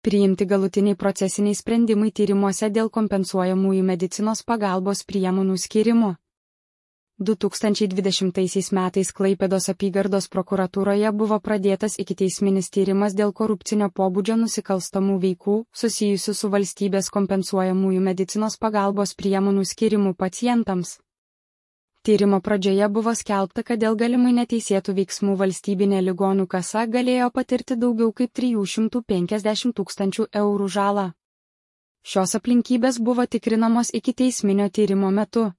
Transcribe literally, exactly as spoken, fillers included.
Priimti galutiniai procesiniai sprendimai tyrimuose dėl kompensuojamųjų medicinos pagalbos priemonių skyrimo. du tūkstančiai dvidešimtaisiais metais Klaipėdos apygardos prokuratūroje buvo pradėtas ikiteisminis tyrimas dėl korupcinio pobūdžio nusikalstamų veikų susijusių su valstybės kompensuojamųjų medicinos pagalbos priemonių skyrimu pacientams. Tyrimo pradžioje buvo skelbta, kad dėl galimai neteisėtų veiksmų valstybinė ligonių kasa galėjo patirti daugiau kaip trijų šimtų penkiasdešimt tūkstančių eurų žalą. Šios aplinkybės buvo tikrinamos ikiteisminio tyrimo metu.